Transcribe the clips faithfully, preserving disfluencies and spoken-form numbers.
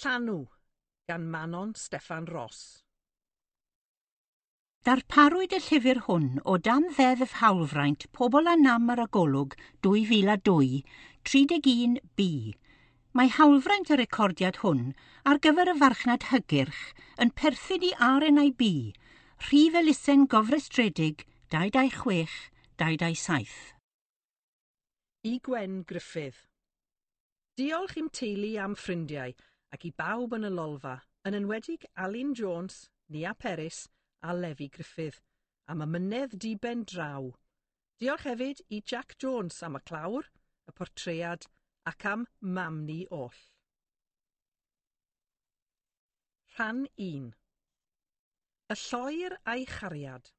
Llanw gan Manon Steffan Ros. Darparwyd y llyfr hwn o dan Ddeddf Hawlfraint Pobl â Nam ar y Golwg dwy fil a dwy, tri deg un B. Mae hawlfraint y recordiad hwn ar gyfer y farchnad hygyrch yn perthyn i R N I B, rhif elusen gofrestredig dau dau chwech dau dau saith. I Gwen Gruffydd. Diolch i'm teulu am ffrindiau ac i bawb yn y lolfa, yn enwedig Alun Jones, Nia Peris a Lefi Gruffydd, am y mynedd diben draw. Diolch hefyd i Jack Jones am y clawr, y portread ac am mam ni oll. Rhan un. Y lloer a'i chariad.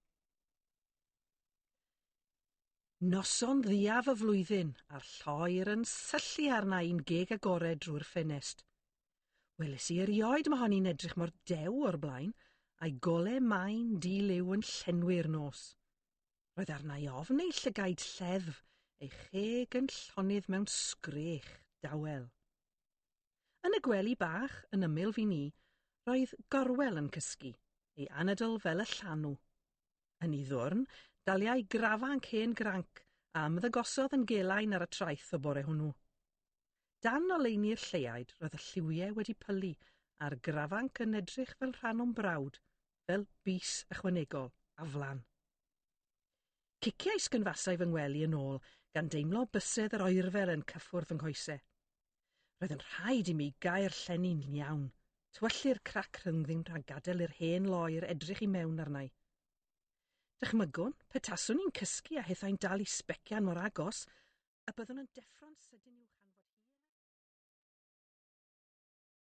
Noson ddiaf y flwyddyn a'r lloer yn syllu arna i'n geg agored drwy'r ffenest. Weles i erioed mohoni'n edrych mor dew o'r blaen, a'i gole main di-liw yn llenwi'r nos. Roedd arna i ofn ei llygaid lleddf, ei cheg yn llonydd mewn sgrech dawel. Yn y gwely bach, yn ymyl fi ni, roedd Gorwel yn cysgu, ei anadl fel y llanw. Yn ei ddwrn, daliai grafanc hen granc a ymddangosodd yn gelain ar y traeth o bore hwnnw. Dan oleuni'r lleuad, roedd y lliwiau wedi pylu a'r grafanc yn edrych fel rhan o'm brawd, fel bys ychwanegol, aflan. Ciciais gynfasau fy ngwely yn ôl, gan deimlo bysedd yr oerfel yn cyffwrdd fy nghoesau. Roedd yn rhaid i mi gau'r llenni'n iawn, tywyllu'r crac rhyngddyn rhag gadael i'r hen loer edrych i mewn arna i. Dychmygwn, petaswn i'n cysgu a hithau'n dal i sbecian mor agos, y byddwn yn deffro'n sydyn i'w